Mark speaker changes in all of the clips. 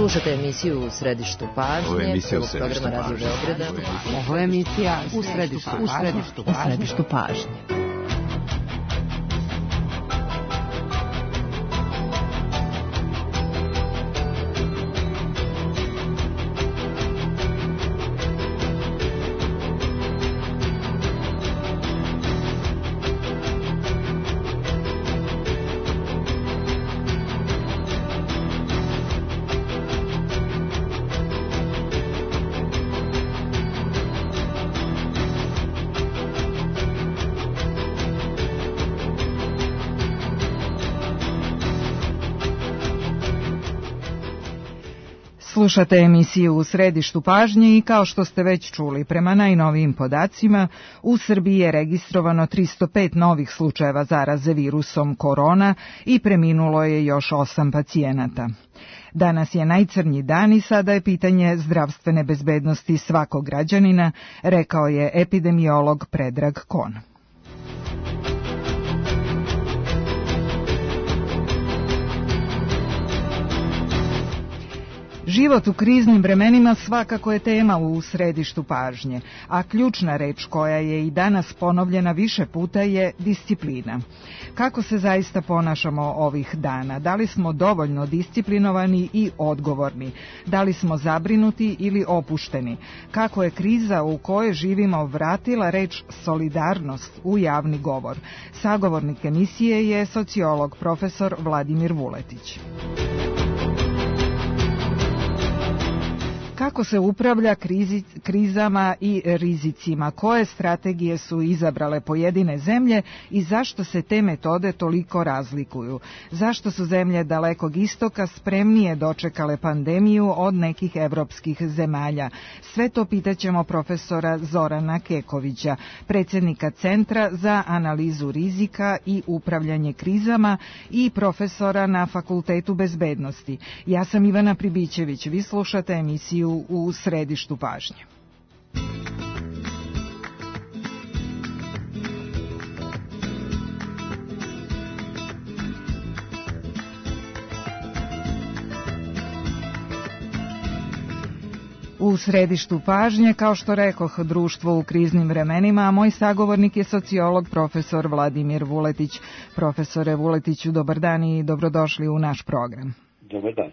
Speaker 1: Slušate emisiju U središtu pažnje, programa Radio Beograda.
Speaker 2: Ovo je emisija U središtu pažnje. Slušate emisiju U središtu pažnje i kao što ste već čuli, prema najnovijim podacima, u Srbiji je registrovano 305 novih slučajeva zaraze virusom korona i preminulo je još 8 pacijenata. Danas je najcrnji dan i sada je pitanje zdravstvene bezbednosti svakog građanina, rekao je epidemiolog Predrag Kon. Život u kriznim vremenima svakako je tema u središtu pažnje, a ključna reč koja je i danas ponovljena više puta je disciplina. Kako se zaista ponašamo ovih dana? Da li smo dovoljno disciplinovani i odgovorni? Da li smo zabrinuti ili opušteni? Kako je kriza u kojoj živimo vratila reč solidarnost u javni govor? Sagovornik emisije je sociolog profesor Vladimir Vuletić. Kako se upravlja krizama i rizicima? Koje strategije su izabrale pojedine zemlje i zašto se te metode toliko razlikuju? Zašto su zemlje Dalekog istoka spremnije dočekale pandemiju od nekih evropskih zemalja? Sve to pitaćemo profesora Zorana Kekovića, predsjednika Centra za analizu rizika i upravljanje krizama i profesora na Fakultetu bezbednosti. Ja sam Ivana Pribićević, vi slušate emisiju U središtu pažnje. U središtu pažnje, kao što rekoh, društvo u kriznim vremenima, a moj sagovornik je sociolog profesor Vladimir Vuletić. Profesore Vuletiću, dobar dan i dobrodošli u naš program.
Speaker 3: Dobar dan.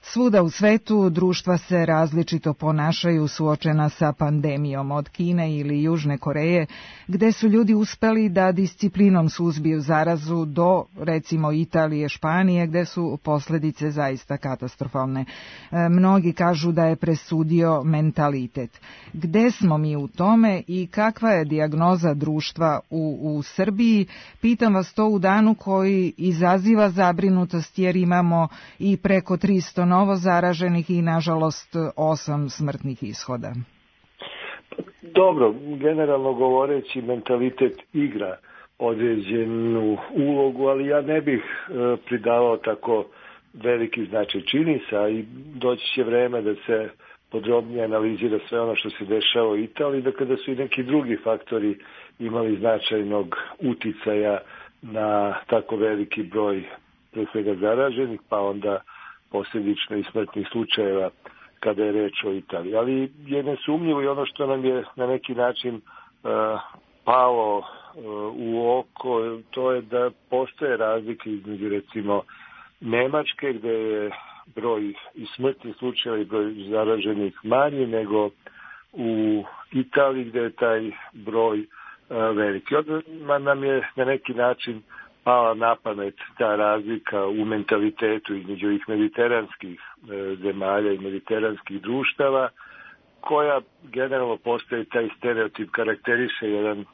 Speaker 2: Svuda u svetu društva se različito ponašaju suočena sa pandemijom, od Kine ili Južne Koreje, gde su ljudi uspeli da disciplinom suzbiju zarazu, do recimo Italije, Španije, gde su posljedice zaista katastrofalne. Mnogi kažu da je presudio mentalitet. Gde smo mi u tome i kakva je dijagnoza društva u Srbiji? Pitam vas to u danu koji izaziva zabrinutost jer imamo i preko 300 novo zaraženih i nažalost 8 smrtnih ishoda.
Speaker 3: Dobro, generalno govoreći, mentalitet igra određenu ulogu, ali ja ne bih pridavao tako veliki značaj. Čini se, a i doći će vreme da se podrobnije analizira sve ono što se dešava u Italiji, da kada su i neki drugi faktori imali značajnog uticaja na tako veliki broj pre svega zaraženih, pa onda posljedično i smrtnih slučajeva kada je reč o Italiji. Ali je nesumnjivo i ono što nam je na neki način palo u oko, to je da postoje razlike između recimo Nemačke, gde je broj i smrtnih slučajeva i broj zaraženih manji nego u Italiji, gde je taj broj veliki. Onda nam je na neki način pala na pamet ta razlika u mentalitetu između ovih mediteranskih zemalja i mediteranskih društava, koja generalno postoji taj stereotip, karakteriše jedan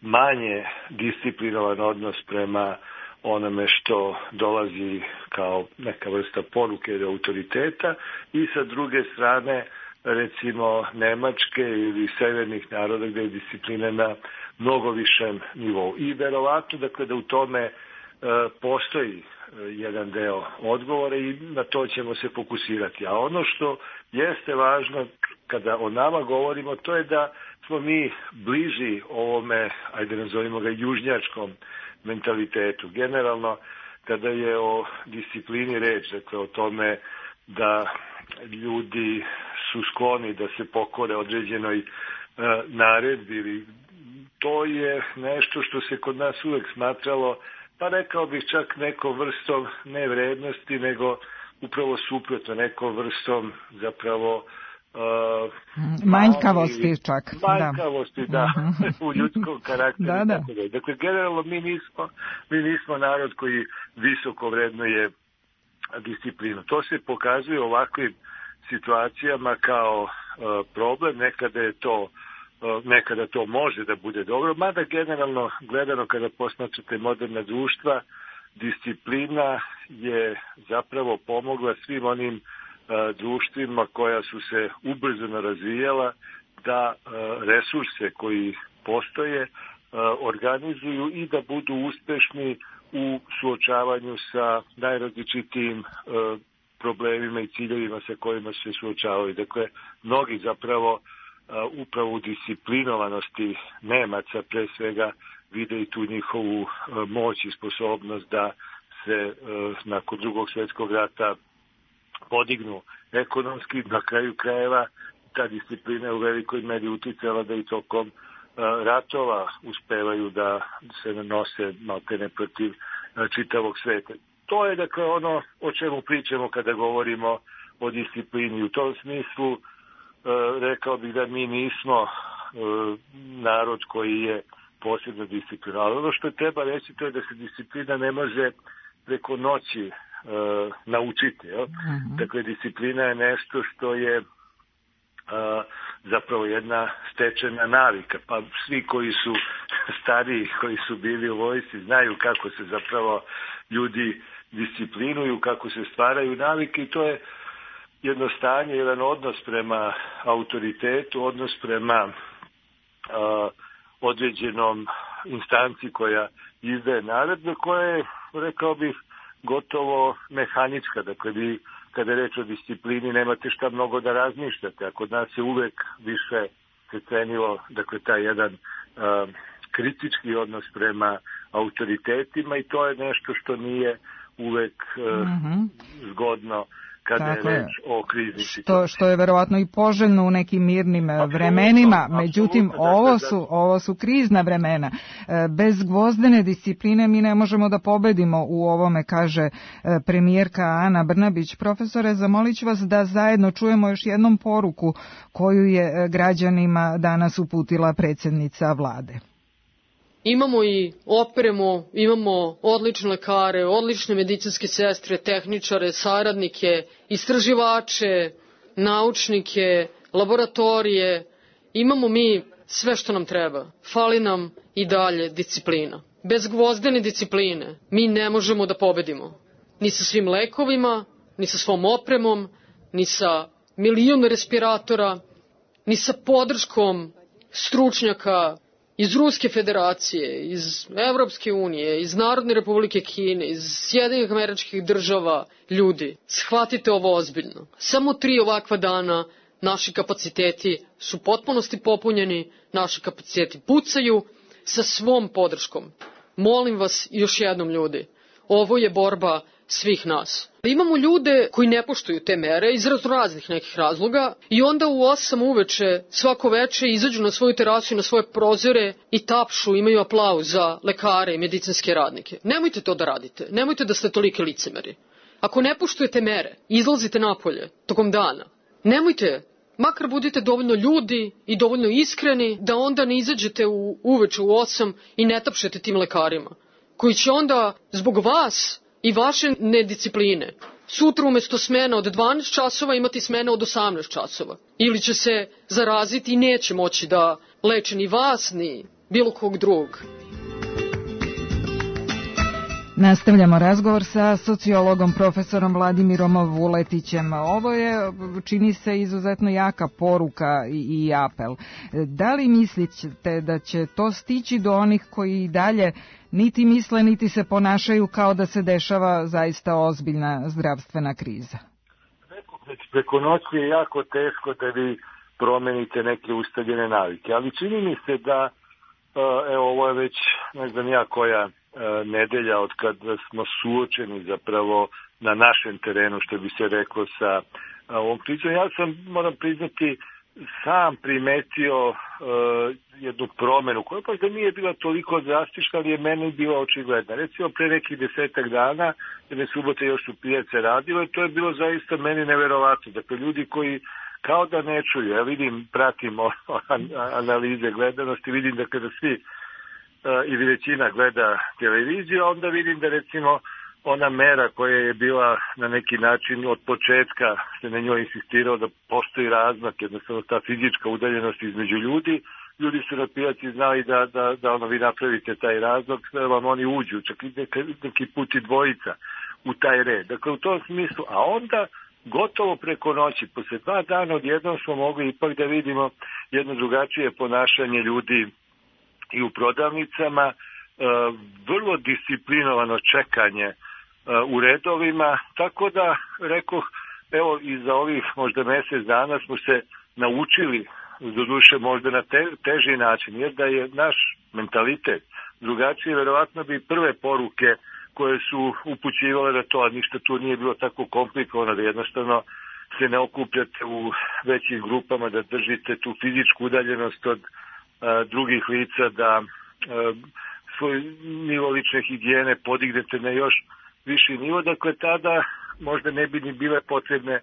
Speaker 3: manje disciplinovan odnos prema onome što dolazi kao neka vrsta poruke ili autoriteta, i sa druge strane recimo Nemačke ili severnih naroda gde je disciplina na mnogo višem nivou. I verovatno dakle da u tome postoji jedan deo odgovora i na to ćemo se fokusirati. A ono što jeste važno kada o nama govorimo, to je da smo mi bliži ovome, ajde nazovimo ga, južnjačkom mentalitetu. Generalno kada je o disciplini reč, dakle o tome da ljudi su skloni da se pokore određenoj naredbi, to je nešto što se kod nas uvek smatralo, pa rekao bih čak nekom vrstom ne vrednosti, nego upravo suprotno, nekom vrstom zapravo
Speaker 2: manjkavosti čak.
Speaker 3: Manjkavosti, da, u ljudskom karakteru.
Speaker 2: Da.
Speaker 3: Dakle, generalno mi nismo narod koji visoko vrednuje disciplinu. To se pokazuje u ovakvim situacijama kao problem, nekada to može da bude dobro, mada generalno gledano kada posmatrate moderna društva, disciplina je zapravo pomogla svim onim društvima koja su se ubrzano razvijala da resurse koji postoje organizuju i da budu uspešni u suočavanju sa najrazličitijim problemima i ciljevima sa kojima se suočavaju. Dakle, mnogi zapravo upravo u disciplinovanosti Nemaca pre svega vide i tu njihovu moć i sposobnost da se nakon Drugog svjetskog rata podignu ekonomski, na kraju krajeva ta disciplina je u velikoj meri uticala da i tokom ratova uspevaju da se nanose maltene protiv čitavog sveta. To je dakle ono o čemu pričamo kada govorimo o disciplini. U tom smislu rekao bih da mi nismo narod koji je posebno disciplinovan. Ono što treba reći to je da se disciplina ne može preko noći naučiti. Dakle, disciplina je nešto što je zapravo jedna stečena navika. Pa svi koji su stariji, koji su bili u vojsci, znaju kako se zapravo ljudi disciplinuju, kako se stvaraju navike i to je jedno stanje, jedan odnos prema autoritetu, odnos prema određenom instanci koja izdaje naredbe, koja je, rekao bih, gotovo mehanička. Dakle, vi kada je reč o disciplini nemate šta mnogo da razmišljate, a kod nas je uvek više se cenilo, dakle, taj jedan kritički odnos prema autoritetima i to je nešto što nije uvek zgodno kada je reč o krizi.
Speaker 2: Što je verovatno i poželjno u nekim mirnim vremenima, međutim ovo su krizna vremena. Bez gvozdene discipline mi ne možemo da pobedimo u ovome, kaže premijerka Ana Brnabić. Profesore, zamolit ću vas da zajedno čujemo još jednom poruku koju je građanima danas uputila predsjednica vlade.
Speaker 4: Imamo i opremu, imamo odlične lekare, odlične medicinske sestre, tehničare, saradnike, istraživače, naučnike, laboratorije. Imamo mi sve što nam treba. Fali nam i dalje disciplina. Bez gvozdene discipline mi ne možemo da pobedimo. Ni sa svim lekovima, ni sa svom opremom, ni sa milion respiratora, ni sa podrškom stručnjaka iz Ruske federacije, iz Evropske unije, iz Narodne republike Kine, iz Sjedinjenih Američkih Država. Ljudi, shvatite ovo ozbiljno. Samo 3 ovakva dana naši kapaciteti su potpunosti popunjeni, naši kapaciteti pucaju sa svom podrškom. Molim vas još jednom, ljudi, ovo je borba svih nas. Imamo ljude koji ne poštuju te mere iz raznih nekih razloga i onda u 8 uveče svako veče izađu na svoju terasu i na svoje prozore i tapšu, imaju aplauz za lekare i medicinske radnike. Nemojte to da radite, nemojte da ste tolike licemeri. Ako ne poštujete mere, izlazite napolje tokom dana. Nemojte, makar budite dovoljno ljudi i dovoljno iskreni da onda ne izađete uveče u 8 i ne tapšete tim lekarima, koji će onda zbog vas i vaše nediscipline sutra umjesto smena od 12 časova imati smena od 18 časova. Ili će se zaraziti i neće moći da leče ni vas, ni bilo kog drugog.
Speaker 2: Nastavljamo razgovor sa sociologom profesorom Vladimirom Vuletićem. Ovo je, čini se, izuzetno jaka poruka i apel. Da li mislite da će to stići do onih koji i dalje niti misle, niti se ponašaju kao da se dešava zaista ozbiljna zdravstvena kriza?
Speaker 3: Preko noći je jako teško da vi promenite neke ustaljene navike, ali čini mi se da, evo, ovo je već ne znam ja koja nedelja od kada smo suočeni zapravo na našem terenu, što bi se reklo, sa ovom pričom. Ja sam, moram priznati, sam primetio jednu promenu koja pa da nije bila toliko drastična, ali je meni bila očigledna. Recimo pre nekih 10 dana, jedne subote još su pijace radile, to je bilo zaista meni neverovatno. Dakle, ljudi koji kao da ne čuju, ja vidim, pratim analize gledanosti, vidim da kada svi ili većina gleda televiziju, onda vidim da recimo ona mera koja je bila na neki način od početka se na njoj insistirao da postoji razmak, jednostavno ta fizička udaljenost između ljudi. Ljudi su na pijaci znali da ono vi napravite taj razmak, da vam oni uđu, čak i neki put i dvojica u taj red. Dakle, u tom smislu, a onda gotovo preko noći, posle 2 dana odjednom smo mogli ipak da vidimo jedno drugačije ponašanje ljudi i u prodavnicama, vrlo disciplinovano čekanje u redovima, tako da, rekoh, evo i za ovih možda mjesec dana smo se naučili, doduše možda na teži način, jer da je naš mentalitet drugačiji, verovatno bi prve poruke koje su upućivale da to, a ništa tu nije bilo tako komplikovano, da jednostavno se ne okupljate u većim grupama, da držite tu fizičku udaljenost od drugih lica, da svoj nivo lične higijene podignete na još viši nivo, dakle tada možda ne bi ni bile potrebne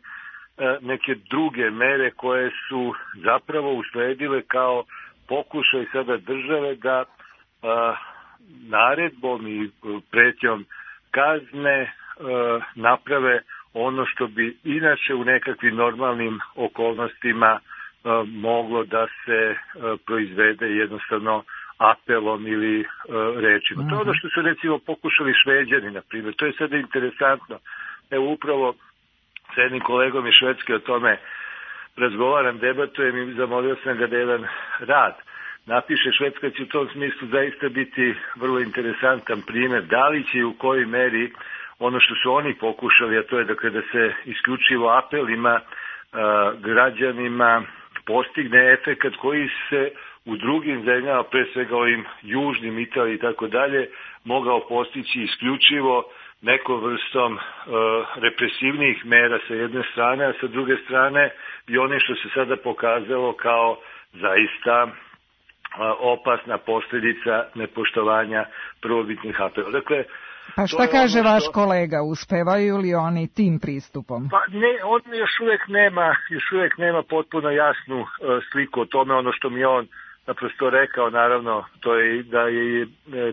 Speaker 3: neke druge mere koje su zapravo usledile kao pokušaj sada države da naredbom i pretnjom kazne naprave ono što bi inače u nekakvim normalnim okolnostima moglo da se proizvede jednostavno apelom ili rečima. To je ono što su recimo pokušali Šveđani, na primjer. To je sada interesantno. Evo upravo s jednim kolegom iz Švedske o tome razgovaram, debatujem i zamolio sam ga da jedan rad napiše. Švedska će u tom smislu zaista biti vrlo interesantan primjer. Da li će i u kojoj meri ono što su oni pokušali, a to je dakle da se isključivo apelima građanima postigne efekat koji se u drugim zemljama, pre svega ovim južnim, Italiji i tako dalje, mogao postići isključivo nekom vrstom represivnih mera sa jedne strane, a sa druge strane i onim što se sada pokazalo kao zaista opasna posljedica nepoštovanja prvobitnih apela. Dakle,
Speaker 2: pa šta kaže vaš kolega, uspevaju li oni tim pristupom?
Speaker 3: Pa ne, on još uvijek nema potpuno jasnu sliku o tome. Ono što mi on naprosto rekao, naravno, to je da je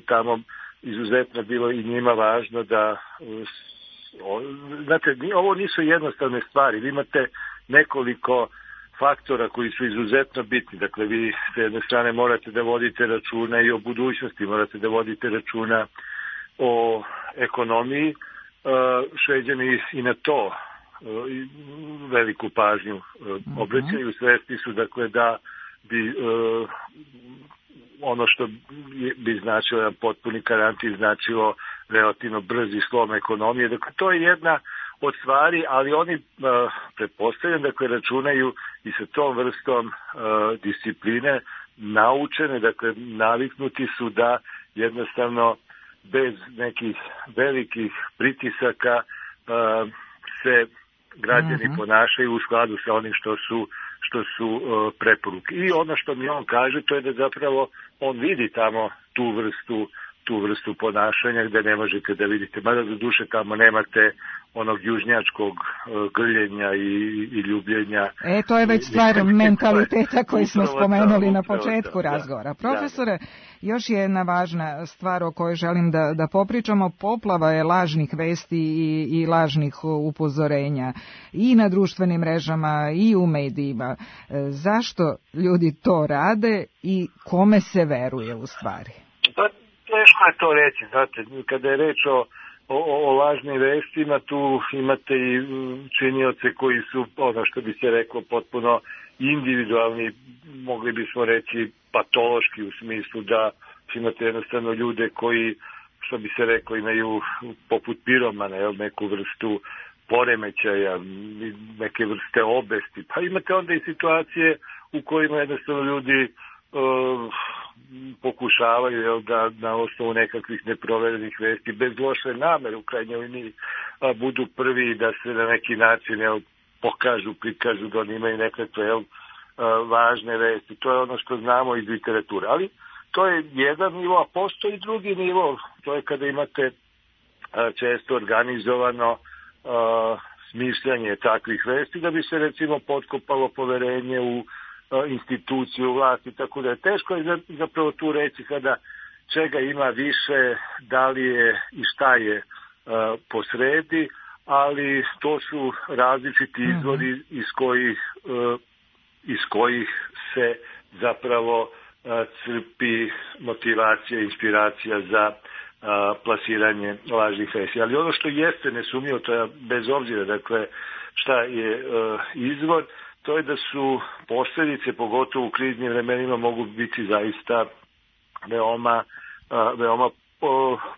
Speaker 3: tamo izuzetno bilo i njima važno da, znate, ovo nisu jednostavne stvari. Vi imate nekoliko faktora koji su izuzetno bitni. Dakle, vi s jedne strane morate da vodite računa i o budućnosti, morate da vodite računa o ekonomiji. Šveđani i na to veliku pažnju obraćaju. Svesni su, dakle, da bi ono što bi značilo jedan potpuni karantin značilo relativno brzi slom ekonomije. Dakle, to je jedna od stvari, ali oni pretpostavljam, dakle, računaju i sa tom vrstom discipline naučene, dakle, naviknuti su da jednostavno bez nekih velikih pritisaka se građani ponašaju u skladu sa onim što su preporuke. I ono što mi on kaže, to je da zapravo on vidi tamo tu vrstu ponašanja gde ne možete da vidite. Mada do duše tamo nemate onog južnjačkog grljenja i ljubljenja.
Speaker 2: To je već stvar mentaliteta koji smo spomenuli na početku razgovora. Profesore, još je jedna važna stvar o kojoj želim da popričamo. Poplava je lažnih vesti i lažnih upozorenja i na društvenim mrežama i u medijima. Zašto ljudi to rade i kome se veruje u stvari?
Speaker 3: Pa teško je to reći, znate, kada je reč o lažnim vestima, tu imate i činioce koji su, ono što bi se reklo, potpuno individualni, mogli bismo reći patološki, u smislu da imate jednostavno ljude koji, što bi se reklo, imaju poput piromana, neku vrstu poremećaja, neke vrste obesti. Pa imate onda i situacije u kojima jednostavno ljudi pokušavaju da na osnovu nekakvih neproverenih vesti, bez loše namere u krajnjoj liniji, budu prvi da se na neki način pokažu, prikažu da oni imaju nekakve važne vesti. To je ono što znamo iz literature. Ali to je jedan nivo, a postoji drugi nivo. To je kada imate često organizovano smišljanje takvih vesti da bi se recimo potkopalo poverenje u instituciju vlasti, tako da je teško je zapravo tu reći sada čega ima više, da li je i šta je posredi, ali to su različiti izvori iz kojih se zapravo crpi motivacija, inspiracija za plasiranje lažnih vesti. Ali ono što jeste nesumnjivo, to je bez obzira dakle šta je izvor, to je da su posljedice, pogotovo u kriznim vremenima, mogu biti zaista veoma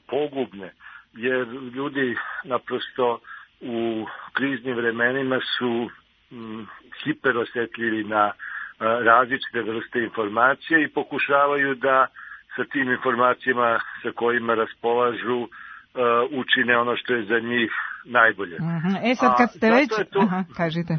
Speaker 3: pogubne. Jer ljudi naprosto u kriznim vremenima su hiperosjetljivi na različite vrste informacije i pokušavaju da sa tim informacijama sa kojima raspolažu učine ono što je za njih najbolje.
Speaker 2: Sad kad ste već... kažite.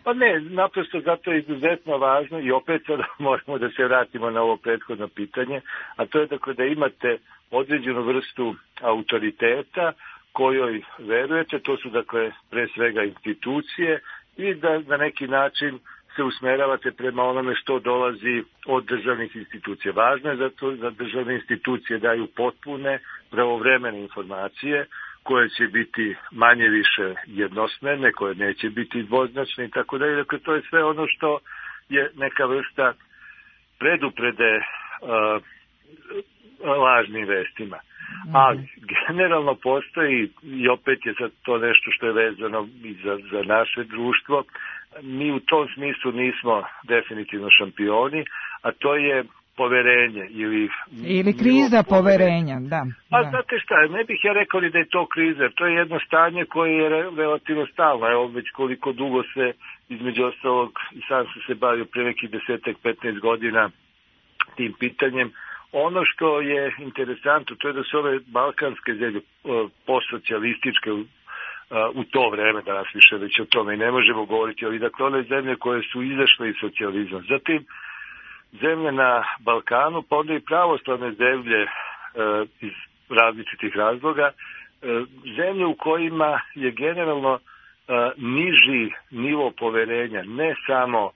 Speaker 3: Pa ne, naprosto zato je izuzetno važno i opet sada moramo da se vratimo na ovo prethodno pitanje, a to je dakle da imate određenu vrstu autoriteta kojoj verujete, to su dakle pre svega institucije i da na neki način se usmeravate prema onome što dolazi od državnih institucija. Važno je zato da državne institucije daju potpune, pravovremene informacije koje će biti manje više jednosmerne, koje neće biti dvoznačne i tako dalje. Dakle, to je sve ono što je neka vrsta preduprede lažnim vestima. Ali generalno postoji, i opet je sad to nešto što je vezano i za naše društvo, mi u tom smislu nismo definitivno šampioni, a to je poverenje ili
Speaker 2: kriza poverenja, da.
Speaker 3: A znate šta, ne bih ja rekao da je to kriza, to je jedno stanje koje je relativno stalno. Evo već koliko dugo se, između ostalog, i sam sam se bavio pre nekih 10-15 godina tim pitanjem. Ono što je interesantno, to je da su ove balkanske zemlje postsocijalističke u to vreme, danas više već o tome i ne možemo govoriti, ali dakle one zemlje koje su izašle iz socijalizma. Zatim zemlje na Balkanu, pa onda i pravoslavne zemlje iz različitih razloga, zemlje u kojima je generalno niži nivo poverenja, ne samo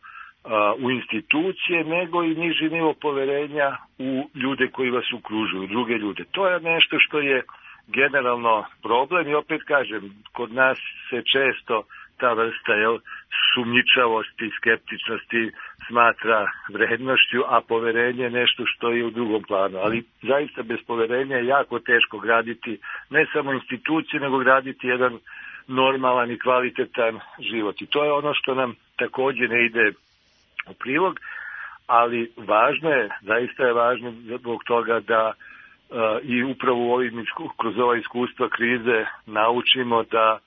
Speaker 3: u institucije, nego i niži nivo poverenja u ljude koji vas okružuju, druge ljude. To je nešto što je generalno problem i opet kažem, kod nas se često ta vrsta sumnjičavosti, skeptičnosti smatra vrednošću, a poverenje je nešto što je u drugom planu. Ali zaista bez poverenja je jako teško graditi ne samo institucije, nego graditi jedan normalan i kvalitetan život. I to je ono što nam također ne ide u prilog, ali važno je, zaista je važno zbog toga da i upravo kroz ova iskustva krize naučimo da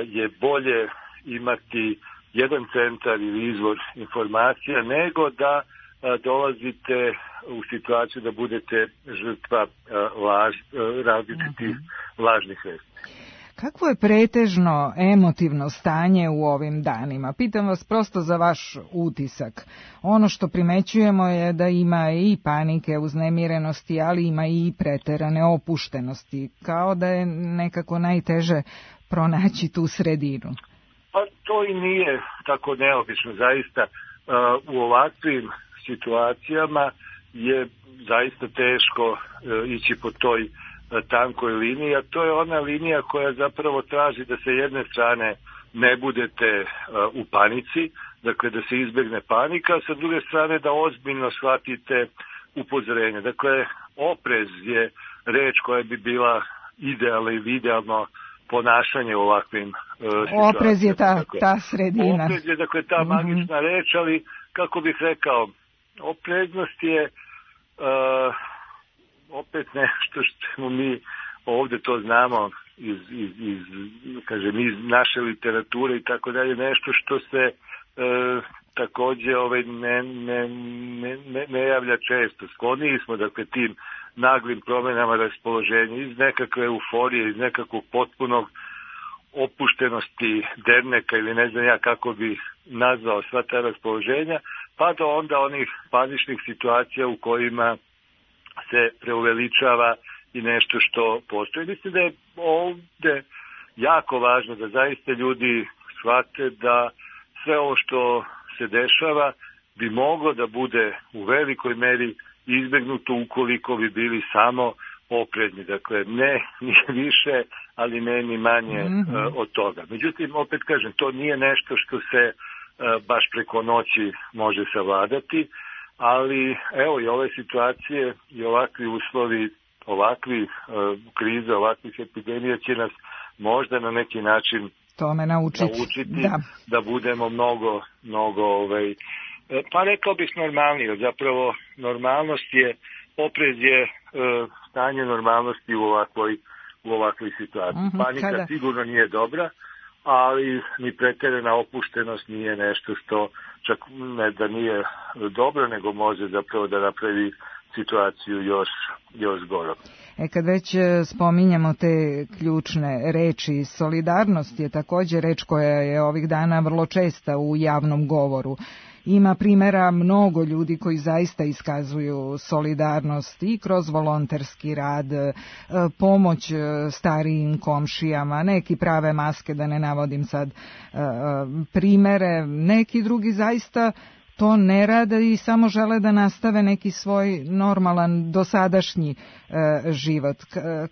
Speaker 3: je bolje imati jedan centar ili izvor informacija nego da dolazite u situaciju da budete žrtva različitih lažnih vesti.
Speaker 2: Kakvo je pretežno emotivno stanje u ovim danima? Pitam vas prosto za vaš utisak. Ono što primećujemo je da ima i panike, uznemirenosti, ali ima i preterane opuštenosti. Kao da je nekako najteže pronaći tu sredinu.
Speaker 3: Pa to i nije tako neobično. Zaista u ovakvim situacijama je zaista teško ići po toj tankoj liniji, a to je ona linija koja zapravo traži da se jedne strane ne budete u panici, dakle da se izbjegne panika, a sa druge strane da ozbiljno shvatite upozorenje. Dakle, oprez je reč koja bi bila idealna ili idealno ponašanje u ovakvim situacijama.
Speaker 2: Oprez je ta sredina.
Speaker 3: Oprez je, dakle, ta magična reč, ali kako bih rekao, opreznost je opet nešto što mi ovdje to znamo iz naše literature i tako dalje, nešto što se takođe ne javlja često. Skloniji smo, dakle, tim naglim promenama raspoloženja iz nekakve euforije, iz nekakvog potpunog opuštenosti derneka ili ne znam ja kako bi nazvao sva ta raspoloženja, pa do onda onih paničnih situacija u kojima se preuveličava i nešto što postoji. Mislim da je ovde jako važno da zaista ljudi shvate da sve ovo što se dešava bi moglo da bude u velikoj meri izbegnuto ukoliko bi bili samo oprezni. Dakle, ne ni više, ali ne ni manje od toga. Međutim, opet kažem, to nije nešto što se baš preko noći može savladati, ali evo i ove situacije i ovakvi uslovi, ovakvi krize, ovakvih epidemija će nas možda na neki način
Speaker 2: tome naučiti
Speaker 3: da budemo mnogo pa rekao bih normalniji. Zapravo normalnost je, oprez je stanje normalnosti u ovakvoj situaciji. Panika sigurno nije dobra, ali ni pretjerana opuštenost nije nešto što čak ne da nije dobro, nego može zapravo da napravi situaciju još gorom.
Speaker 2: Kad već spominjamo te ključne reči, solidarnost je također reč koja je ovih dana vrlo česta u javnom govoru. Ima primjera mnogo ljudi koji zaista iskazuju solidarnost i kroz volonterski rad, pomoć starijim komšijama, neki prave maske, da ne navodim sad primere, neki drugi zaista to ne rade i samo žele da nastave neki svoj normalan dosadašnji život.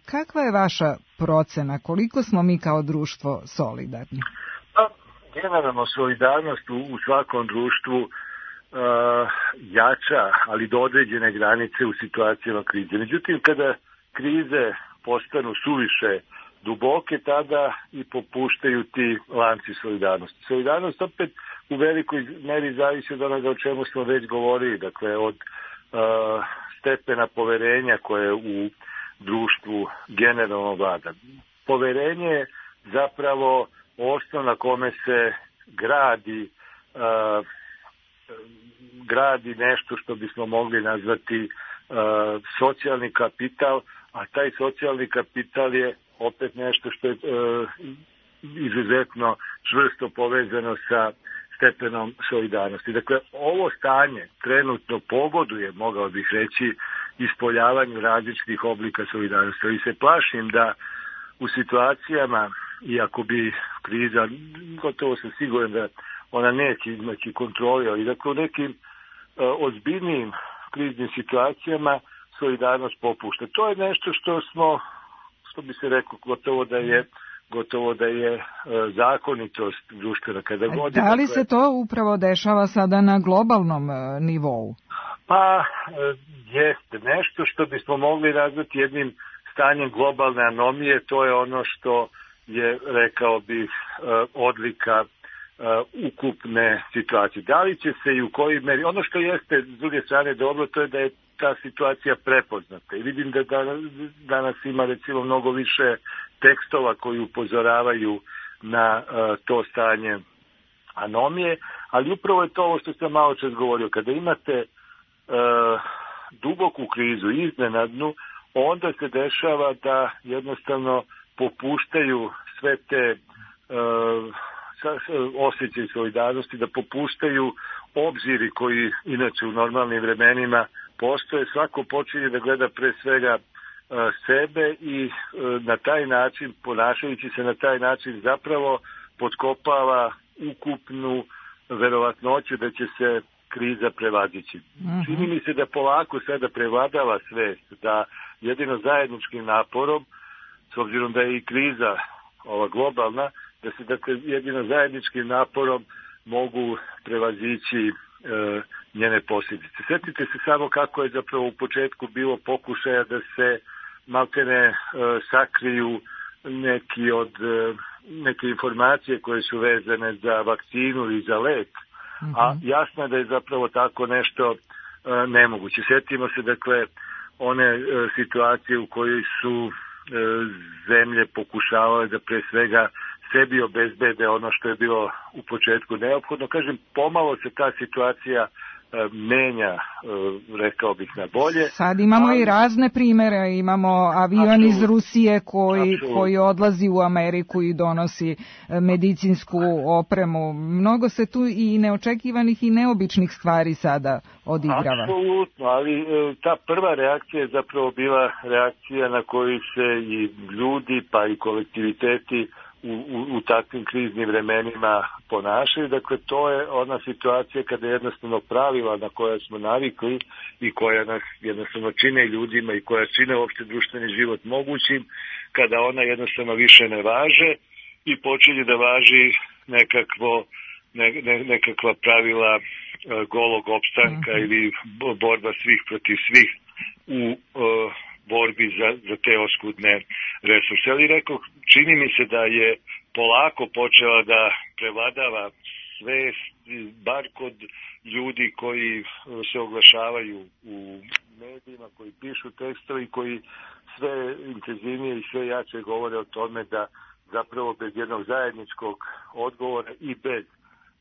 Speaker 2: Kakva je vaša procena? Koliko smo mi kao društvo solidarni?
Speaker 3: Generalno, solidarnost u svakom društvu jača, ali do određene granice u situacijama krize. Međutim, kada krize postanu suviše duboke, tada i popuštaju ti lanci solidarnosti. Solidarnost opet u velikoj meri zavisi od onoga o čemu smo već govorili, dakle od stepena poverenja koje u društvu generalno vlada. Poverenje je zapravo osnov na kome se gradi nešto što bismo mogli nazvati socijalni kapital, a taj socijalni kapital je opet nešto što je izuzetno čvrsto povezano sa stepenom solidarnosti. Dakle, ovo stanje trenutno pogoduje, mogao bih reći, ispoljavanju različitih oblika solidarnosti. Ali se plašim da u situacijama, iako bi kriza, gotovo sam siguran da ona neće imati kontroli, ali dakle u nekim ozbiljnijim kriznim situacijama solidarnost popušta. To je nešto što bi se reklo, gotovo da je zakonitost društvena.
Speaker 2: Da li se to upravo dešava sada na globalnom nivou?
Speaker 3: Pa, jeste. Nešto što bismo mogli nazvati jednim stanjem globalne anomije, to je ono što je, rekao bih, odlika ukupne situacije. Da li će se i u kojoj meri, ono što jeste s druge strane dobro, to je da je ta situacija prepoznata. I vidim da danas ima recimo mnogo više tekstova koji upozoravaju na to stanje anomije, ali upravo je to ovo što sam malo čas govorio. Kada imate duboku krizu, iznenadnu, onda se dešava da jednostavno popuštaju sve te osjećaj solidarnosti, da popuštaju obziri koji inače u normalnim vremenima postoje. Svako počinje da gleda pre svega sebe i na taj način, ponašajući se na taj način, zapravo potkopava ukupnu verovatnoću da će se kriza prevazići. Čini mi se da polako sada prevladava svest da jedino zajedničkim naporom, s obzirom da je i kriza ova globalna, da se dakle jedino zajedničkim naporom mogu prevazići njene posljedice. Sjetite se samo kako je zapravo u početku bilo pokušaja da se maltene sakriju neke informacije koje su vezane za vakcinu i za lek, a jasno je da je zapravo tako nešto nemoguće. Sjetimo se dakle one situacije u kojoj su zemlje pokušavale da pre svega sebi obezbede ono što je bilo u početku neophodno. Kažem, pomalo se ta situacija menja, rekao bih, na bolje.
Speaker 2: Sad imamo i razne primere, imamo avion iz Rusije koji odlazi u Ameriku i donosi medicinsku opremu. Mnogo se tu i neočekivanih i neobičnih stvari sada odigrava.
Speaker 3: Apsolutno, ali ta prva reakcija je zapravo bila reakcija na koju se i ljudi pa i kolektiviteti u takvim kriznim vremenima ponašaju. Dakle, to je ona situacija kada jednostavno pravila na koja smo navikli i koja nas jednostavno čine ljudima i koja čine uopšte društveni život mogućim, kada ona jednostavno više ne važe i počinje da važi nekakva pravila golog opstanka ili borba svih protiv svih u borbi za te oskudne resurse. Ali rekao, čini mi se da je polako počela da prevladava svest, bar kod ljudi koji se oglašavaju u medijima, koji pišu tekstove i koji sve intenzivnije i sve jače govore o tome da zapravo bez jednog zajedničkog odgovora i bez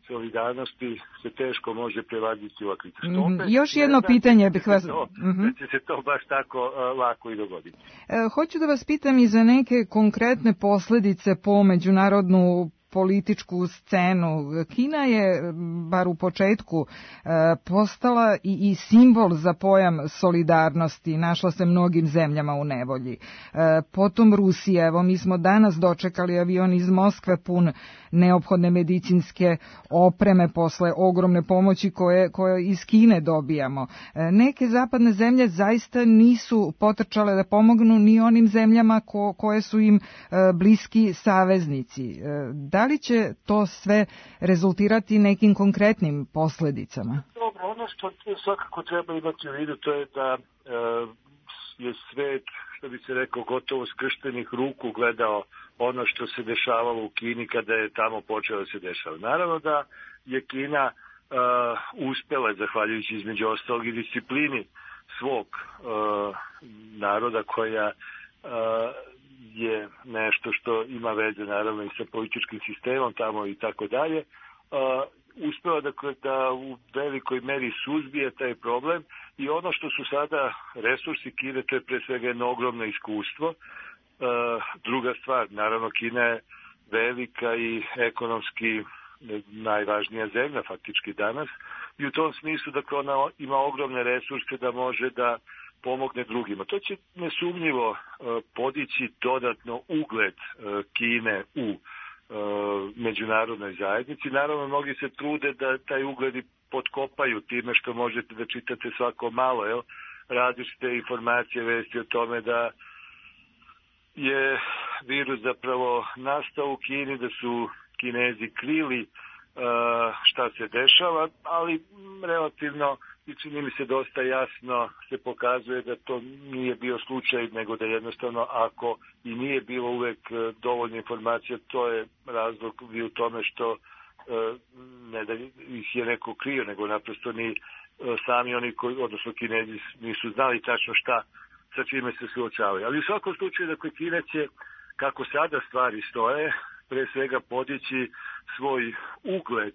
Speaker 3: solidarnosti se teško može prevladiti ova kriza.
Speaker 2: Još jedno pitanje bih vas...
Speaker 3: Da će se to baš tako lako i dogoditi.
Speaker 2: Hoću da vas pitam i za neke konkretne posljedice po međunarodnu političku scenu. Kina je, bar u početku, postala i simbol za pojam solidarnosti. Našla se mnogim zemljama u nevolji. Potom Rusija. Evo, mi smo danas dočekali avion iz Moskve pun neophodne medicinske opreme posle ogromne pomoći koje iz Kine dobijamo. Neke zapadne zemlje zaista nisu potrčale da pomognu ni onim zemljama koje su im bliski saveznici. Da li će to sve rezultirati nekim konkretnim posljedicama?
Speaker 3: Dobro, ono što svakako treba imati u vidu to je da je svet, što bi se rekao, gotovo skrštenih ruku gledao ono što se dešavalo u Kini kada je tamo počelo da se dešava. Naravno da je Kina uspela, zahvaljujući između ostalog i disciplini svog naroda koja je nešto što ima veze naravno i sa političkim sistemom tamo i tako dalje, uspela da u velikoj meri suzbije taj problem i ono što su sada resursi Kine, to je pre svega jedno ogromno iskustvo. Druga stvar, naravno Kina je velika i ekonomski najvažnija zemlja faktički danas i u tom smislu dakle ona ima ogromne resurse da može da pomogne drugima. To će nesumnjivo podići dodatno ugled Kine u međunarodnoj zajednici. Naravno, mnogi se trude da taj ugled i potkopaju time što možete da čitate svako malo, različite informacije, vesti o tome da je virus zapravo nastao u Kini, da su Kinezi krili šta se dešava, ali relativno i čini mi se dosta jasno se pokazuje da to nije bio slučaj, nego da jednostavno ako i nije bilo uvek dovoljno informacija, to je razlog i u tome što ne da ih je neko krio, nego naprosto ni sami oni koji, odnosno Kinezi, nisu znali tačno šta sa čime se suočavaju. Ali u svakom slučaju, dakle, Kina će, kako sada stvari stoje, pre svega podići svoj ugled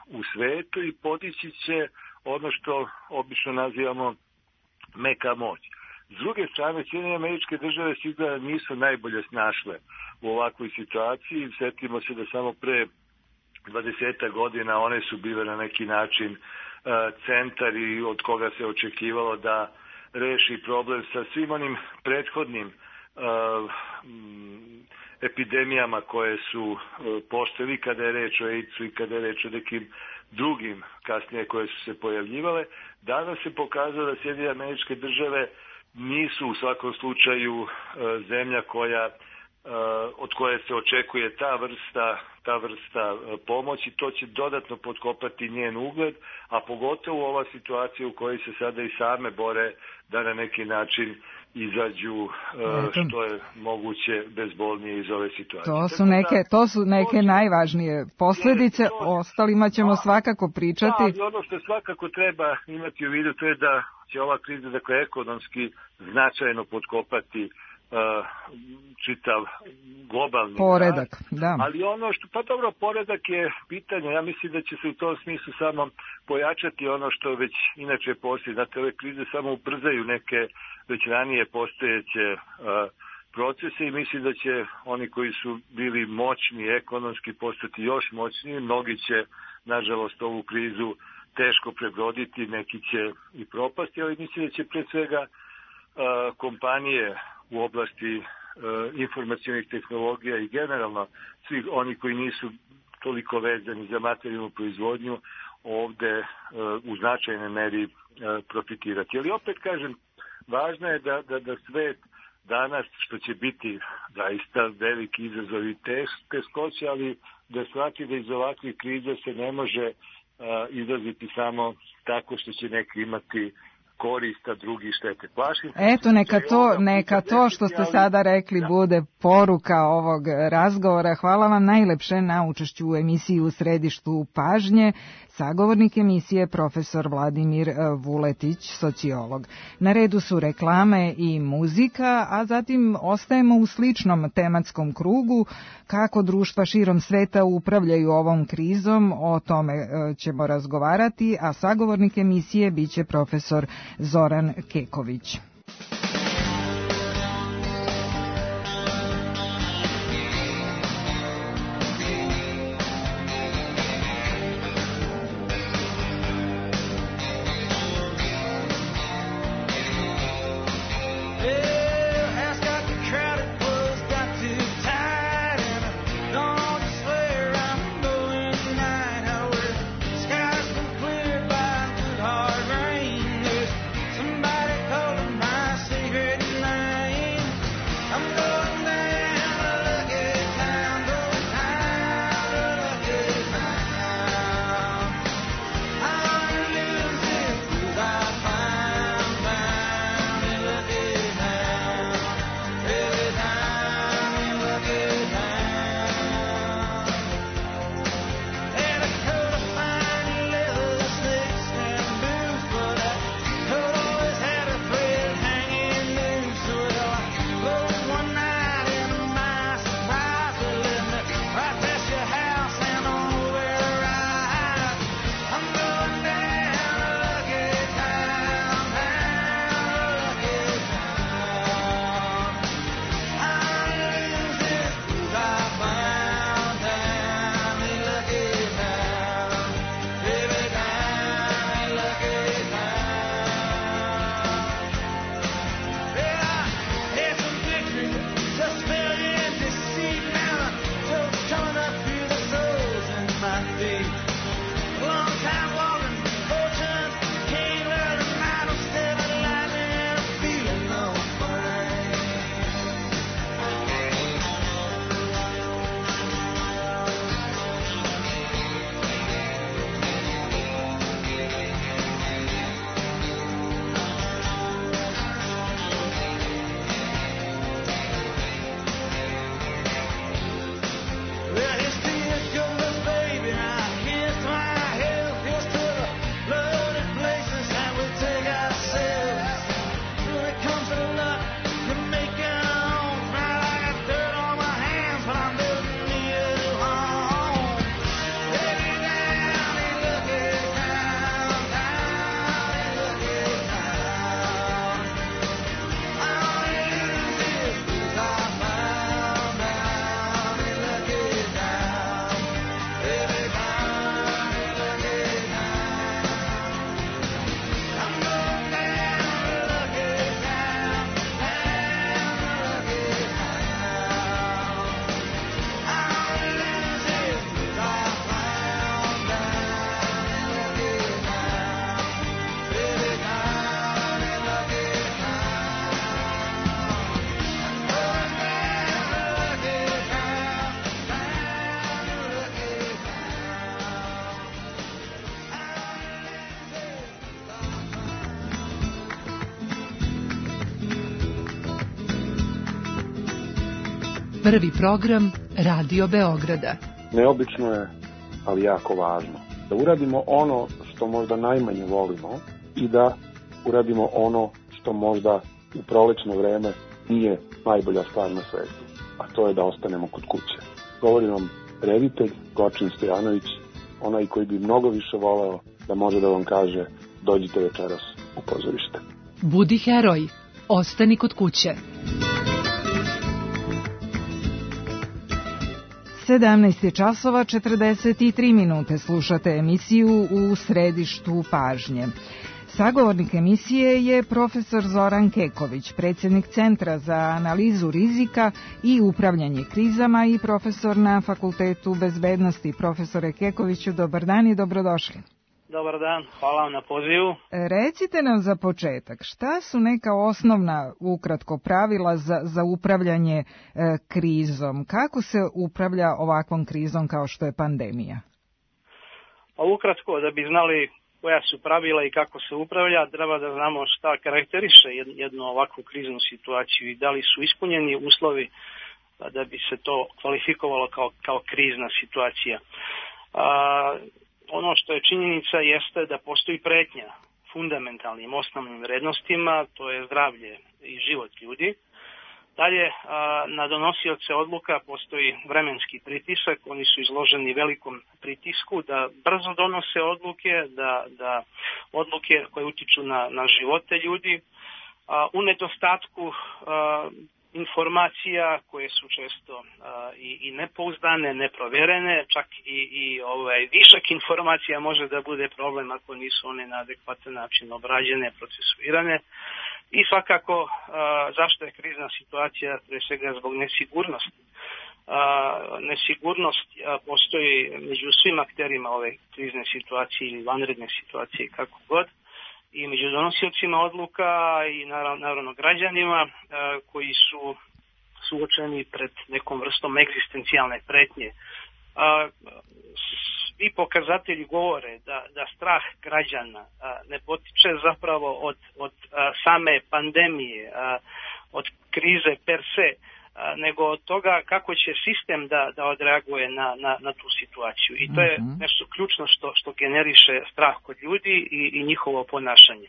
Speaker 3: u svetu i podići će ono što obično nazivamo meka moć. S druge strane, Sjedinjene Američke Države sigurno nisu najbolje snašle u ovakvoj situaciji. Sjetimo se da samo pre 20 godina one su bile na neki način centar i od koga se očekivalo da reši problem sa svim onim prethodnim epidemijama koje su postojali kada je reč o AIDS-u i kada je reč o nekim drugim kasnije koje su se pojavljivale. Danas se pokazalo da Sjedinjene Američke Države nisu u svakom slučaju zemlja od koje se očekuje ta vrsta pomoći. To će dodatno potkopati njen ugled, a pogotovo ova situacija u kojoj se sada i same bore da na neki način izađu što je moguće bezbolnije iz ove situacije.
Speaker 2: To su neke najvažnije posljedice, ostalima ćemo svakako pričati.
Speaker 3: Da, ali ono što svakako treba imati u vidu to je da će ova kriza, dakle, ekonomski značajno potkopati čitav globalni
Speaker 2: poredak,
Speaker 3: rast,
Speaker 2: da.
Speaker 3: ali ono što, pa dobro, poredak je pitanje, ja mislim da će se u tom smislu samo pojačati ono što već inače postoji. Znate, ove krize samo ubrzaju neke već ranije postojeće procese i mislim da će oni koji su bili moćni ekonomski postati još moćniji. Mnogi će, nažalost, ovu krizu teško prebroditi, neki će i propasti, ali mislim da će pre svega kompanije u oblasti informacionih tehnologija i generalno svi oni koji nisu toliko vezani za materijalnu proizvodnju ovde u značajnoj meri profitirati. Ali opet kažem, važno je da svet danas, što će biti zaista veliki izazov i teškoće, ali da shvati da iz ovakvih kriza se ne može izlaziti samo tako što će neki imati korista, drugi štete.
Speaker 2: Eto, neka to što ste sada rekli bude poruka ovog razgovora. Hvala vam najlepše na učešću u emisiji U središtu pažnje. Sagovornik emisije profesor Vladimir Vuletić, sociolog. Na redu su reklame i muzika, a zatim ostajemo u sličnom tematskom krugu. Kako društva širom sveta upravljaju ovom krizom, o tome ćemo razgovarati, a sagovornik emisije biće profesor Zoran Keković.
Speaker 5: Prvi program Radio Beograda.
Speaker 6: Neobično je, ali jako važno, da uradimo ono što možda najmanje volimo i da uradimo ono što možda u prolećno vreme nije najbolja stvar na svetu, a to je da ostanemo kod kuće. Govori vam reditelj Gočin Stojanović, onaj koji bi mnogo više voleo da može da vam kaže dođite večeras u pozorište.
Speaker 5: Budi heroj, ostani kod kuće.
Speaker 2: 17 časova 43 minute, slušate emisiju U središtu pažnje. Sagovornik emisije je profesor Zoran Keković, predsjednik Centra za analizu rizika i upravljanje krizama i profesor na Fakultetu bezbednosti. Profesore Kekoviću, dobar dan i dobrodošli.
Speaker 7: Dobar dan, hvala vam na pozivu.
Speaker 2: Recite nam za početak, šta su neka osnovna, ukratko, pravila za upravljanje krizom? Kako se upravlja ovakvom krizom kao što je pandemija?
Speaker 7: Pa ukratko, da bi znali koja su pravila i kako se upravlja, treba da znamo šta karakteriše jednu ovakvu kriznu situaciju i da li su ispunjeni uslovi da bi se to kvalifikovalo kao krizna situacija. Ono što je činjenica jeste da postoji pretnja fundamentalnim osnovnim vrednostima, to je zdravlje i život ljudi. Dalje, na donosioce odluka postoji vremenski pritisak, oni su izloženi velikom pritisku da brzo donose odluke, da odluke koje utiču na živote ljudi. U nedostatku informacija koje su često i nepouzdane, neprovjerene, čak i višak informacija može da bude problem ako nisu one na adekvatan način obrađene, procesuirane. I svakako zašto je krizna situacija, pre svega zbog nesigurnosti. Nesigurnost postoji među svim akterima ove krizne situacije ili vanredne situacije, kako god, i među donosiocima odluka i naravno građanima koji su suočeni pred nekom vrstom egzistencijalne pretnje. Svi pokazatelji govore da strah građana ne potiče zapravo od same pandemije, od krize per se, nego od toga kako će sistem da odreaguje na tu situaciju. I to je nešto ključno što generiše strah kod ljudi i njihovo ponašanje.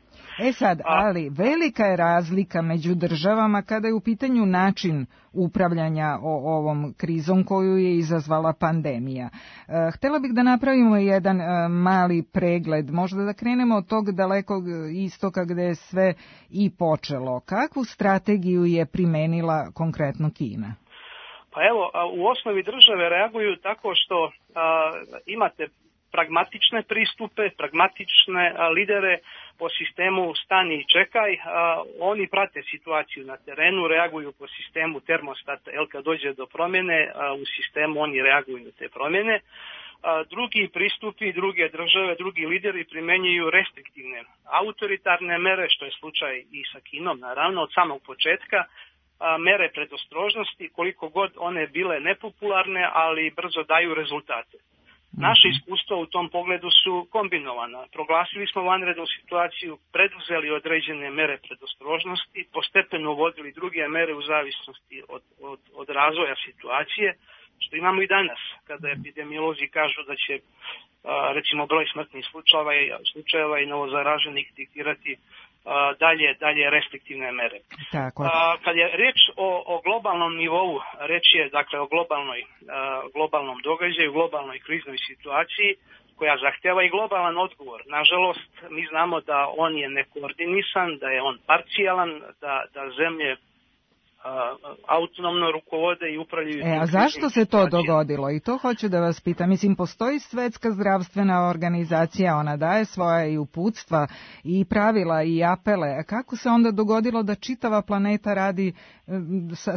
Speaker 2: Ali velika je razlika među državama kada je u pitanju način upravljanja ovom krizom koju je izazvala pandemija. Htela bih da napravimo jedan mali pregled, možda da krenemo od tog dalekog istoka gde je sve i počelo. Kakvu strategiju je primenila konkretno Kina?
Speaker 7: Pa evo, u osnovi države reaguju tako što imate pragmatične pristupe, pragmatične lidere po sistemu stani i čekaj. Oni prate situaciju na terenu, reaguju po sistemu termostata, kad dođe do promjene, u sistemu oni reaguju na te promjene. Drugi pristupi, druge države, drugi lideri primenjuju restriktivne autoritarne mere, što je slučaj i sa Kinom, naravno, od samog početka. Mere predostrožnosti, koliko god one bile nepopularne, ali brzo daju rezultate. Naše iskustva u tom pogledu su kombinovana. Proglasili smo vanrednu situaciju, preduzeli određene mere predostrožnosti, postepeno uvodili druge mere u zavisnosti od razvoja situacije, što imamo i danas, kada epidemiolozi kažu da će recimo broj smrtnih slučajeva i novozaraženih diktirati dalje restriktivne mere. Kad je reč o globalnom nivou, reč je dakle o globalnom događaju, globalnoj kriznoj situaciji koja zahtjeva i globalan odgovor. Nažalost, mi znamo da on je nekoordinisan, da je on parcijalan, da zemlje autonomno rukovode i upravljaju.
Speaker 2: A zašto se to dogodilo? I to hoću da vas pitam. Mislim, postoji Svetska zdravstvena organizacija, ona daje svoja i uputstva i pravila i apele. A kako se onda dogodilo da čitava planeta radi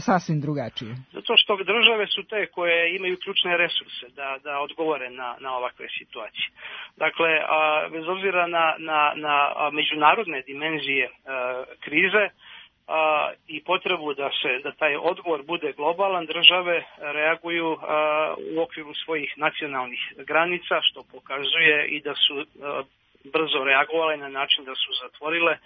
Speaker 2: sasvim drugačije?
Speaker 7: Zato što države su te koje imaju ključne resurse da odgovore na ovakve situacije. Dakle, bez obzira na međunarodne dimenzije krize, i potrebu da taj odgovor bude globalan, države reaguju u okviru svojih nacionalnih granica, što pokazuje i da su brzo reagovale na način da su zatvorile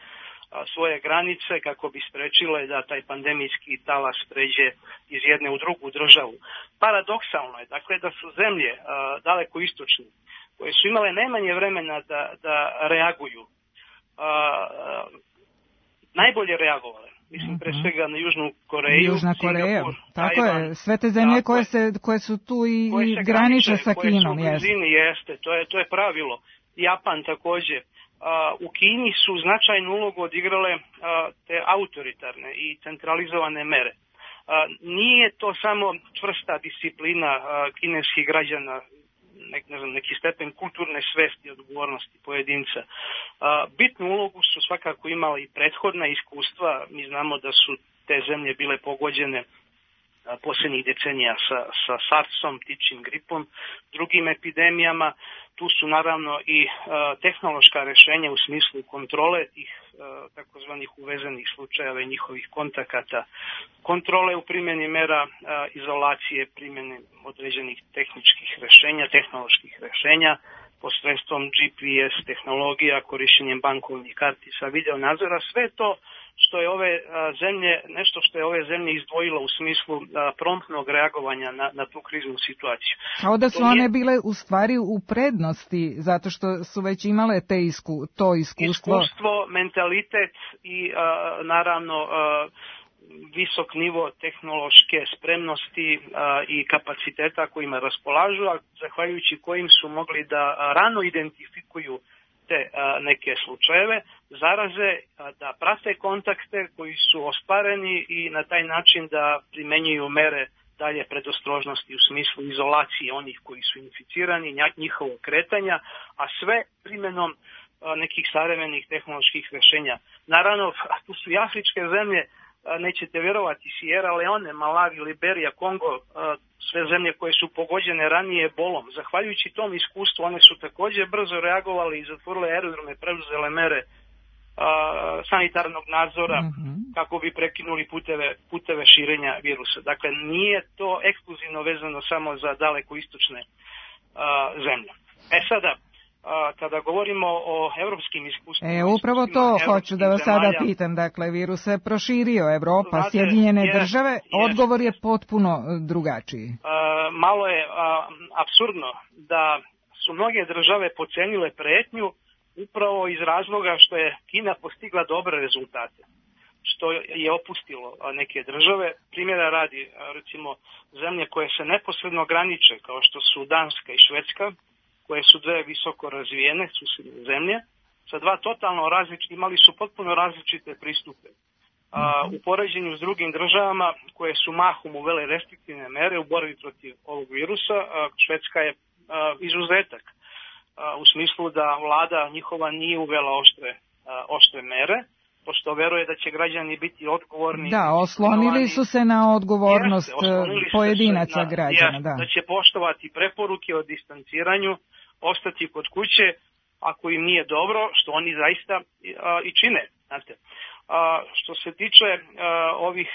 Speaker 7: svoje granice kako bi sprečile da taj pandemijski talas pređe iz jedne u drugu državu. Paradoksalno je, dakle, da su zemlje daleko istočne, koje su imale najmanje vremena da reaguju, najbolje reagovale. mislim pre svega na Južnu Koreju.
Speaker 2: Južna Koreja, tako je, sve te zemlje koje su tu i graniče sa Kinom.
Speaker 7: Koje su u blizini, jeste, to je pravilo. Japan takođe. U Kini su značajnu ulogu odigrale te autoritarne i centralizovane mere. Nije to samo čvrsta disciplina kineskih građana, neki stepen kulturne svesti i odgovornosti pojedinca. Bitnu ulogu su svakako imali i prethodna iskustva. Mi znamo da su te zemlje bile pogođene posljednjih decenija sa SARS-om, ptičjim gripom, drugim epidemijama. Tu su naravno i tehnološka rešenja u smislu kontrole tih takozvanih uvezenih slučajeva i njihovih kontakata, kontrole u primjeni mera izolacije, primjene određenih tehnoloških rešenja, posredstvom GPS tehnologija, korišćenjem bankovnih kartica, video nadzora, sve to što je nešto što je ove zemlje izdvojilo u smislu promptnog reagovanja na tu kriznu situaciju.
Speaker 2: Kao da su one bile u stvari u prednosti, zato što su već imale to iskustvo.
Speaker 7: Iskustvo, mentalitet i naravno visok nivo tehnološke spremnosti i kapaciteta kojima raspolažu, a zahvaljujući kojim su mogli da rano identifikuju te neke slučajeve, zaraze, da prate kontakte koji su ostvareni i na taj način da primenjuju mere dalje predostrožnosti u smislu izolacije onih koji su inficirani, njihovog kretanja, a sve primjenom nekih savremenih tehnoloških rešenja. Naravno, tu su i afričke zemlje, nećete vjerovati, Sierra Leone, Malawi, Liberija, Kongo, sve zemlje koje su pogođene ranije ebolom. Zahvaljujući tom iskustvu, one su također brzo reagovali i zatvorile aerodrome, preuzele mere sanitarnog nadzora kako bi prekinuli puteve širenja virusa. Dakle, nije to ekskluzivno vezano samo za daleko istočne zemlje. Sada, kada govorimo o evropskim iskustvima...
Speaker 2: Upravo to hoću da vas sada pitam. Dakle, virus se proširio, Evropa, Sjedinjene države, odgovor je potpuno drugačiji.
Speaker 7: Malo je apsurdno da su mnoge države pocenile pretnju upravo iz razloga što je Kina postigla dobre rezultate, što je opustilo neke države. Primjera radi, recimo, zemlje koje se neposredno graniče, kao što su Danska i Švedska, koje su dve visoko razvijene susedne zemlje, sa dva totalno različite, imali su potpuno različite pristupe. U poređenju s drugim državama koje su mahom uvele restriktivne mere u borbi protiv ovog virusa, Švedska je izuzetak u smislu da vlada njihova nije uvela oštre mere, pošto veruje da će građani biti odgovorni.
Speaker 2: Da, oslonili su se na odgovornost pojedinaca građana.
Speaker 7: Da će poštovati preporuke o distanciranju, ostati kod kuće ako im nije dobro, što oni zaista i čine. Znate. Što se tiče ovih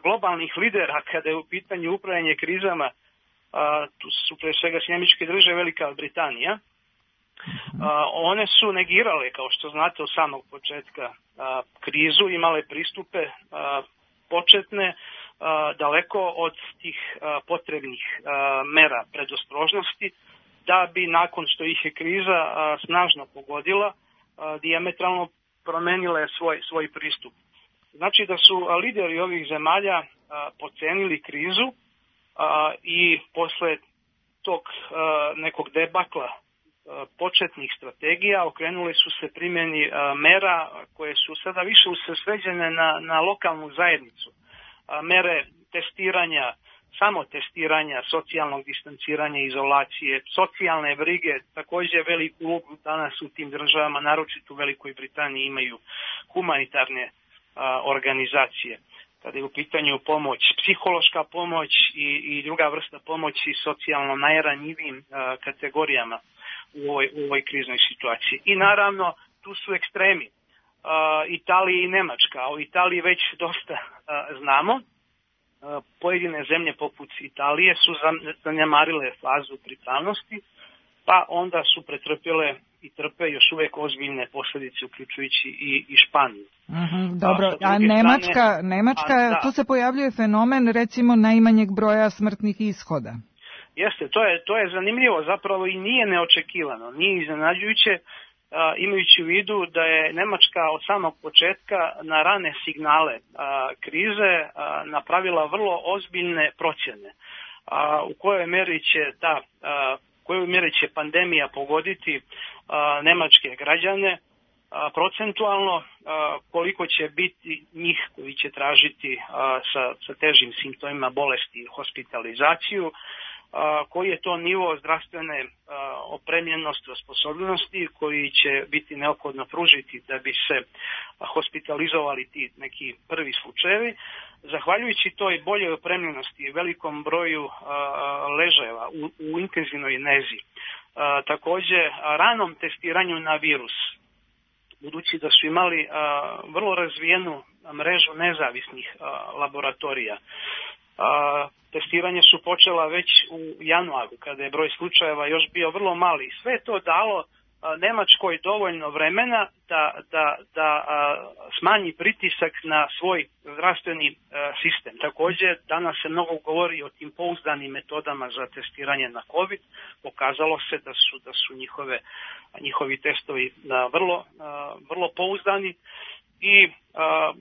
Speaker 7: globalnih lidera, kada je u pitanju upravljanje krizama, tu su pre svega Sjedinjene Države, Velika Britanija, one su negirale, kao što znate, od samog početka krizu, imale pristupe početne daleko od tih potrebnih mera predostrožnosti, da bi nakon što ih je kriza snažno pogodila, dijametralno promenile svoj pristup. Znači da su lideri ovih zemalja pocenili krizu i posle tog nekog debakla početnih strategija okrenuli su se primjeni mera koje su sada više usredsređene na lokalnu zajednicu. Mere testiranja, samotestiranja, socijalnog distanciranja, izolacije, socijalne brige, također veliku ulogu danas u tim državama, naročito u Velikoj Britaniji, imaju humanitarne organizacije. Kada je u pitanju pomoć, psihološka pomoć i druga vrsta pomoći socijalno najranjivijim kategorijama u ovoj kriznoj situaciji. I naravno, tu su ekstremi. Italija i Nemačka. O Italiji već dosta znamo. Pojedine zemlje poput Italije su zanemarile fazu pripravnosti, pa onda su pretrpjele i trpe još uvijek ozbiljne posljedice, uključujući i Španiju.
Speaker 2: Dobro, a Nemačka, tu se pojavljuje fenomen recimo najmanjeg broja smrtnih ishoda.
Speaker 7: Jeste, to je zanimljivo, zapravo i nije neočekivano, nije iznenađujuće, imajući u vidu da je Nemačka od samog početka na rane signale krize napravila vrlo ozbiljne procjene u kojoj meri će pandemija pogoditi nemačke građane, procentualno koliko će biti njih koji će tražiti sa težim simptomima bolesti hospitalizaciju, koji je to nivo zdravstvene opremljenosti, osposobljenosti koji će biti neophodno pružiti da bi se hospitalizovali ti neki prvi slučajevi. Zahvaljujući toj boljoj opremljenosti i velikom broju ležajeva u intenzivnoj nezi, također ranom testiranju na virus, budući da su imali vrlo razvijenu mrežu nezavisnih laboratorija. Testiranje su počela već u januaru, kada je broj slučajeva još bio vrlo mali. Sve to dalo Nemačkoj dovoljno vremena da smanji pritisak na svoj zdravstveni sistem. Također, danas se mnogo govori o tim pouzdanim metodama za testiranje na COVID. Pokazalo se da su njihovi testovi vrlo pouzdani i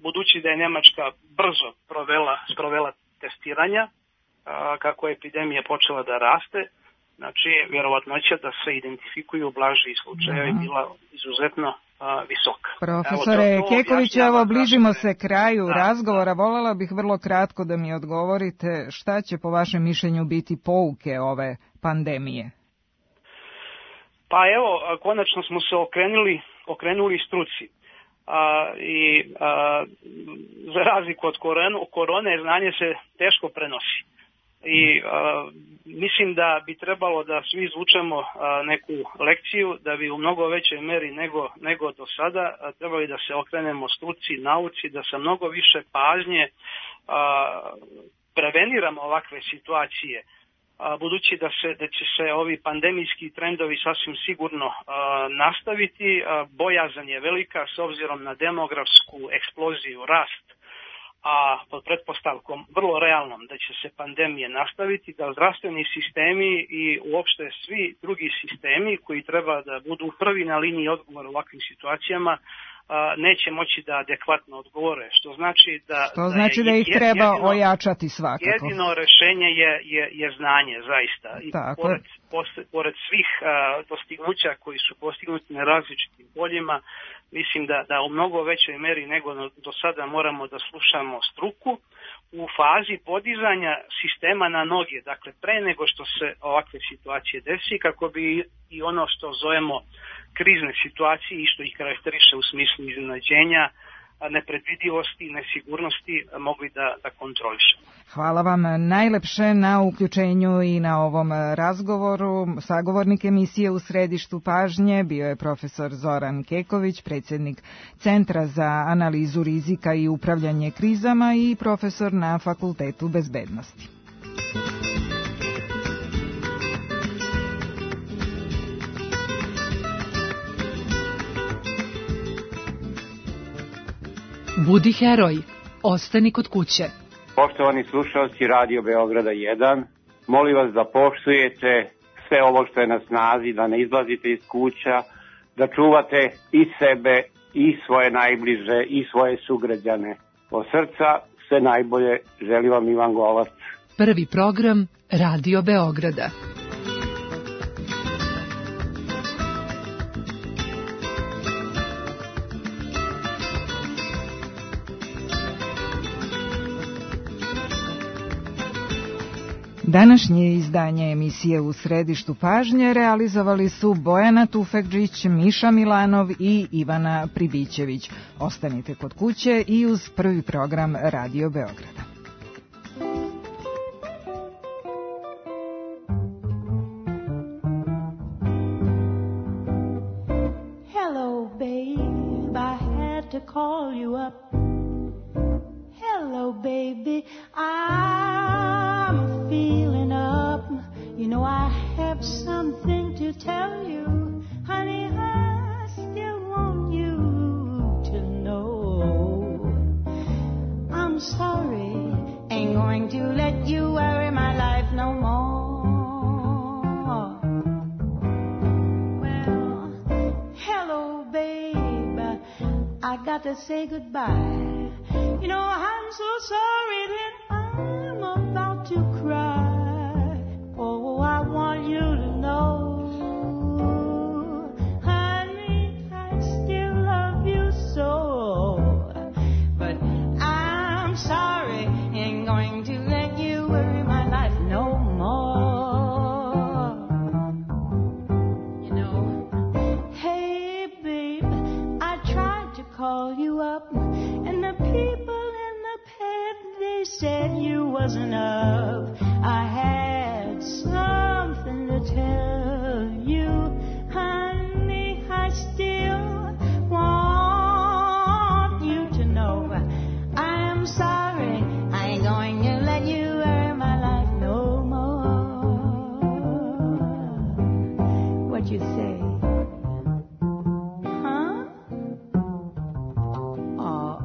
Speaker 7: budući da je Nemačka brzo sprovela testiranja, kako je epidemija počela da raste, znači vjerovatnoća da se identifikuju blaži slučajevi bila izuzetno visoka.
Speaker 2: Profesore Keković, evo bližimo se kraju razgovora. Voljela bih vrlo kratko da mi odgovorite šta će po vašem mišljenju biti pouke ove pandemije.
Speaker 7: Pa evo, konačno smo se okrenuli struci. Za razliku od korone, znanje se teško prenosi. I mislim da bi trebalo da svi izvučemo neku lekciju, da bi u mnogo većoj meri nego do sada trebali da se okrenemo struci, nauci, da sa mnogo više pažnje preveniramo ovakve situacije, budući da će se ovi pandemijski trendovi sasvim sigurno nastaviti. Bojazan je velika s obzirom na demografsku eksploziju, rast, a pod pretpostavkom vrlo realnom da će se pandemije nastaviti, da zdravstveni sistemi i uopšte svi drugi sistemi koji treba da budu prvi na liniji odgovora u ovakvim situacijama neće moći da adekvatno odgovore, što znači da ih treba
Speaker 2: ojačati svakako.
Speaker 7: Jedino rešenje je znanje, zaista. I pored svih dostignuća koji su postignuti na različitim poljima, mislim da u mnogo većoj meri nego do sada moramo da slušamo struku u fazi podizanja sistema na noge, dakle pre nego što se ovakve situacije desi, kako bi i ono što zovemo krizne situacije i što ih karakteriše u smislu iznenađenja, nepredvidivosti i nesigurnosti mogli da kontrolišemo.
Speaker 2: Hvala vam najlepše na uključenju i na ovom razgovoru. Sagovornik emisije U središtu pažnje bio je profesor Zoran Keković, predsjednik Centra za analizu rizika i upravljanje krizama i profesor na Fakultetu bezbednosti.
Speaker 5: Budi heroj, ostani kod kuće.
Speaker 8: Poštovani slušalci Radio Beograda 1, molim vas da poštujete sve ovo što je na snazi, da ne izlazite iz kuća, da čuvate i sebe, i svoje najbliže, i svoje sugrađane. Od srca sve najbolje, želi vam Ivan Golac.
Speaker 5: Prvi program Radio Beograda.
Speaker 2: Današnje izdanje emisije U središtu pažnje realizovali su Bojana Tufekđić, Miša Milanov i Ivana Pribićević. Ostanite kod kuće i uz prvi program Radio Beograda.
Speaker 9: Hello, babe, I had to call you up. Hello, baby, I'm feeling up. You know I have something to tell you. Honey, I still want you to know. I'm sorry, ain't going to let you worry my life no more. Well, hello, got to say goodbye. You know, I'm so sorry that I'm about to cry. Oh, I want you to know, honey, I still love you so. But I'm sorry, ain't going to let you worry my life no more. You know, hey, babe, I tried to call you up, and the people in the pub, they said you wasn't up. I had something to tell you, honey, I still want you to know. I'm sorry, I ain't going to let you worry my life no more. What you say? Huh? Oh.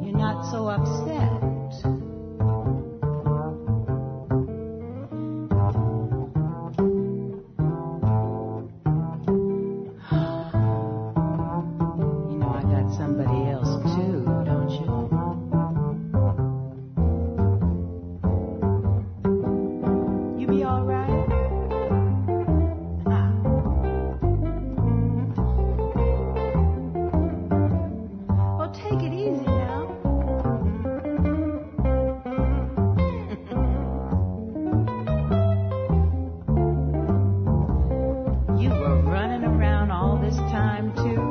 Speaker 9: You're not so upset. You know I got somebody else too, don't you? You be all right? Well, take it easy now. You were running around all this time, too?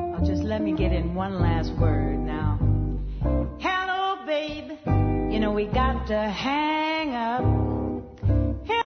Speaker 9: Oh, just let me get in one last word now. Hello, babe. You know we got to hang up.